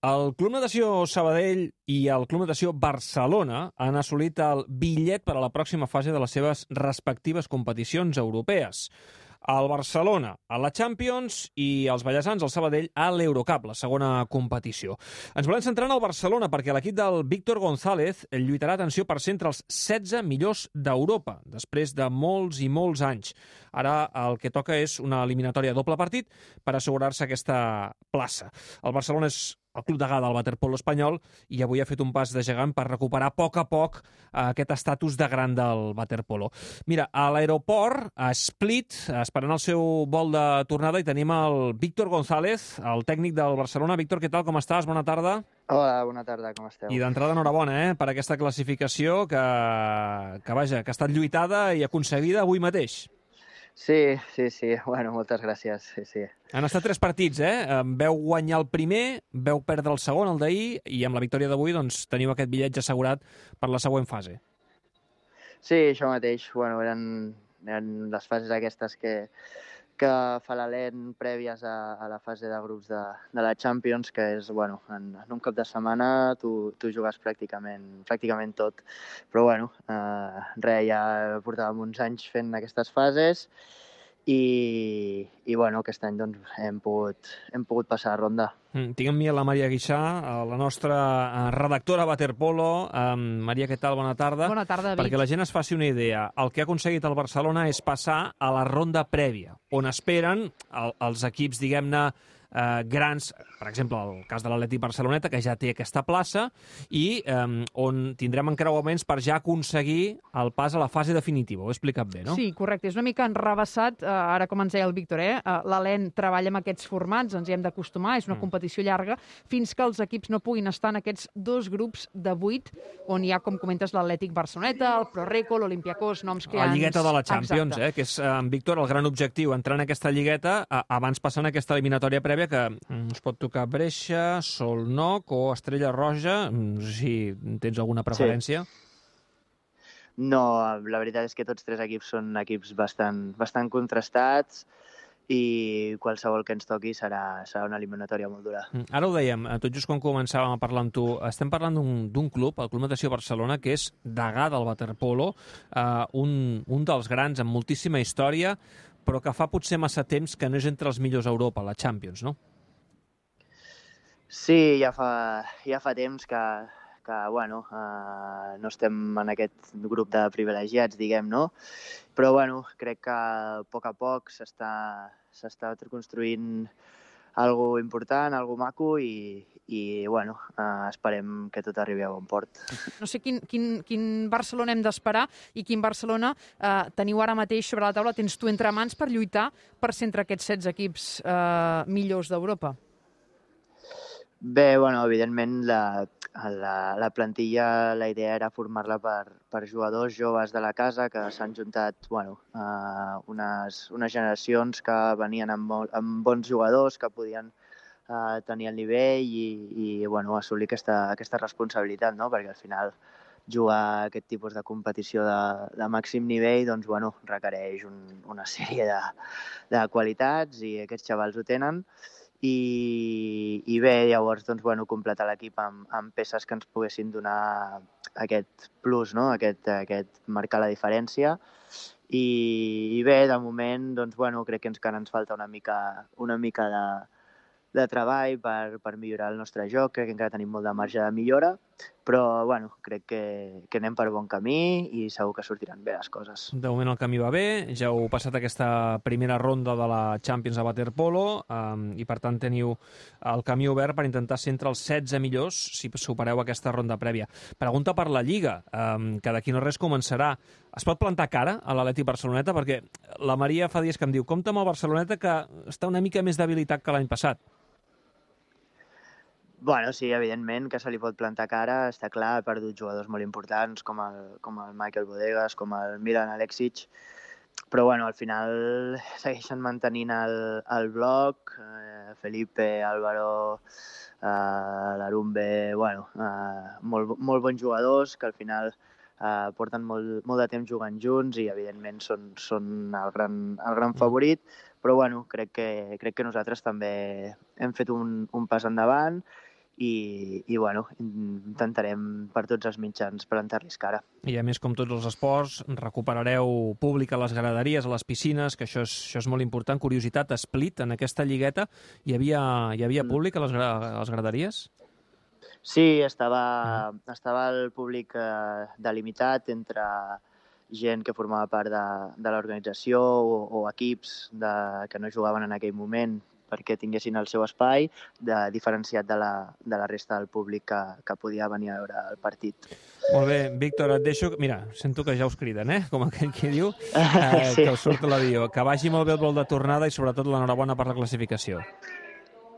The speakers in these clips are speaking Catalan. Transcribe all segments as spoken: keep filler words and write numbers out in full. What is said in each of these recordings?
El Club Natació Sabadell i el Club Natació Barcelona han assolit el bitllet per a la pròxima fase de les seves respectives competicions europees. El Barcelona a la Champions i els ballesans, el Sabadell, a l'Eurocup, la segona competició. Ens volem centrar en el Barcelona perquè l'equip del Víctor González lluitarà, atenció, per ser entre els setze millors d'Europa, després de molts i molts anys. Ara el que toca és una eliminatòria a doble partit per assegurar-se aquesta plaça. El Barcelona és el club degà del waterpolo espanyol i avui ha fet un pas de gegant per recuperar a poc a poc aquest estatus de gran del waterpolo. Mira, a l'aeroport, a Split, esperant el seu vol de tornada, hi tenim el Víctor González, el tècnic del Barcelona. Víctor, què tal? Com estàs? Bona tarda. Hola, bona tarda, com esteu? I d'entrada, enhorabona, eh, per aquesta classificació que, que, vaja, que ha estat lluitada i aconseguida avui mateix. Sí, sí, sí. Bueno, moltes gràcies. Sí, sí. Han estat tres partits, eh? Veu guanyar el primer, veu perdre el segon, el d'ahir, i amb la victòria d'avui doncs, teniu aquest bitllet assegurat per la següent fase. Sí, això mateix. Bueno, eren, eren les fases aquestes que, que fa l'Alen prèvies a, a la fase de grups de, de la Champions, que és, bueno, en, en un cop de setmana tu, tu jugues pràcticament, pràcticament tot. Però, bueno, eh, res, ja portàvem uns anys fent aquestes fases i, i bueno, aquest any doncs, hem, pogut, hem pogut passar a ronda. Mm, tinc amb mi la Maria Guixà, la nostra redactora Waterpolo. Um, Maria, què tal? Bona tarda. Bona tarda, David. Perquè la gent es faci una idea, el que ha aconseguit el Barcelona és passar a la ronda prèvia, on esperen el, els equips, diguem-ne, eh, grans, per exemple, el cas de l'Atlètic Barceloneta, que ja té aquesta plaça, i eh, on tindrem encreuaments per ja aconseguir el pas a la fase definitiva. Ho he explicat bé, no? Sí, correcte. És una mica enrevessat, eh, ara com ens deia el Víctor, eh? L'Alen treballa amb aquests formats, ens hi hem d'acostumar, és una Mm. competició llarga, fins que els equips no puguin estar en aquests dos grups de vuit, on hi ha, com comentes, l'Atlètic Barceloneta, el Proreco, l'Olimpiakos, noms que La ja lligueta ens... de la Champions, Exacte. eh, que és, eh, en Víctor, el gran objectiu, entrar en aquesta lligueta eh, abans passant aquesta eliminatòria prèvia que mm, us pot tocar Brescia, Solnoc o Estrella Roja. No sé si tens alguna preferència. Sí. No, la veritat és que tots tres equips són equips bastant, bastant contrastats i qualsevol que ens toqui serà, serà una eliminatòria molt dura. Ara ho dèiem, tot just quan començàvem a parlar amb tu, estem parlant d'un club, el Club Natació Barcelona, que és degà del waterpolo, eh, un, un dels grans amb moltíssima història, però que fa potser massa temps que no és entre els millors a Europa, la Champions, no? Sí, ja fa, ja fa temps que, que bueno, eh, no estem en aquest grup de privilegiats, diguem, no? Però, bueno, crec que a poc a poc s'està s'està construint algo important, algo maco i, i bueno, eh, esperem que tot arribi a bon port. No sé quin, quin, quin Barcelona hem d'esperar i quin Barcelona eh, teniu ara mateix sobre la taula, tens tu entre mans per lluitar per ser entre aquests setze equips eh, millors d'Europa. Bé, bueno, evidentment la, la, la plantilla, la idea era formar-la per, per jugadors joves de la casa que s'han juntat, bueno, eh, unes, unes generacions que venien amb, amb bons jugadors que podien eh, tenir el nivell i, i bueno, assolir aquesta, aquesta responsabilitat, no? Perquè al final jugar aquest tipus de competició de, de màxim nivell doncs, bueno, requereix un, una sèrie de, de qualitats i aquests xavals ho tenen. I, i bé, llavors, doncs, bueno, completar l'equip amb, amb peces que ens poguessin donar aquest plus, no? aquest, aquest marcar la diferència. I, i bé, de moment, doncs, bueno, crec que encara ens falta una mica, una mica de, de treball per, per millorar el nostre joc, crec que encara tenim molt de marge de millora, però bueno, crec que, que anem per bon camí i segur que sortiran bé les coses. De moment el camí va bé, ja heu passat aquesta primera ronda de la Champions a waterpolo um, i per tant teniu el camí obert per intentar ser entre els setze millors si supereu aquesta ronda prèvia. Pregunta per la Lliga, um, que d'aquí no res començarà. Es pot plantar cara a l'Atlètic Barceloneta? Perquè la Maria fa dies que em diu compta amb el Barceloneta que està una mica més debilitat que l'any passat. Bueno, sí, evidentment que se li pot plantar cara, està clar, ha perdut jugadors molt importants com el, com el Michael Bodegas, com el Milan Aleksic, però bueno, al final segueixen mantenint el, el bloc, eh, Felipe, Álvaro, eh, l'Arumbe, bueno, eh, molt, molt bons jugadors que al final eh, porten molt, molt de temps jugant junts i evidentment són, són el, gran, el gran favorit, però bueno, crec que, crec que nosaltres també hem fet un, un pas endavant i, i bueno, intentarem per tots els mitjans plantar-los cara. I a més, com tots els esports, recuperareu públic a les graderies, a les piscines, que això és, això és molt important. Curiositat, Split, en aquesta lligueta, hi havia, hi havia públic a les, gra a les graderies? Sí, estava, mm. estava el públic eh, delimitat entre gent que formava part de, de l'organització o, o equips de, que no jugaven en aquell moment perquè tinguessin el seu espai, de, diferenciat de la, de la resta del públic que, que podia venir a veure el partit. Molt bé, Víctor, et deixo... Mira, sento que ja us criden, eh? Com aquell que diu, eh, sí. Que us surt l'avió. Que vagi molt bé el vol de tornada i sobretot l'enhorabona per la classificació.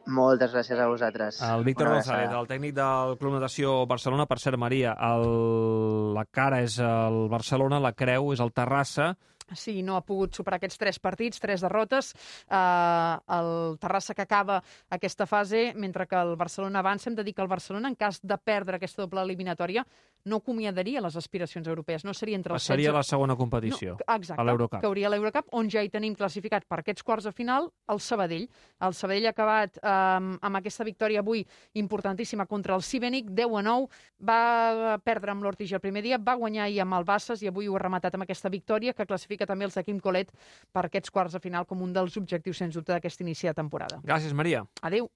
Moltes gràcies a vosaltres. El Víctor González, el tècnic del Club Natació Barcelona. Per cert, Maria, el... la cara és el Barcelona, la creu és el Terrassa. Sí, no ha pogut superar aquests tres partits, tres derrotes. Uh, el Terrassa que acaba aquesta fase, mentre que el Barcelona avança. Hem de dir que el Barcelona, en cas de perdre aquesta doble eliminatòria, no acomiadaria les aspiracions europees. No seria entre els Passaria setze... a la segona competició, no, exacte, a l'Eurocup. Que hauria l'Eurocup, on ja hi tenim classificat per aquests quarts de final el Sabadell. El Sabadell ha acabat um, amb aquesta victòria avui importantíssima contra el Sibenic, deu a nou. Va perdre amb l'Ortigi el primer dia, va guanyar ahir amb el Bassas i avui ho ha rematat amb aquesta victòria que classifica també els de Quim Colet per aquests quarts de final com un dels objectius, sens dubte, d'aquest inici de temporada. Gràcies, Maria. Adéu.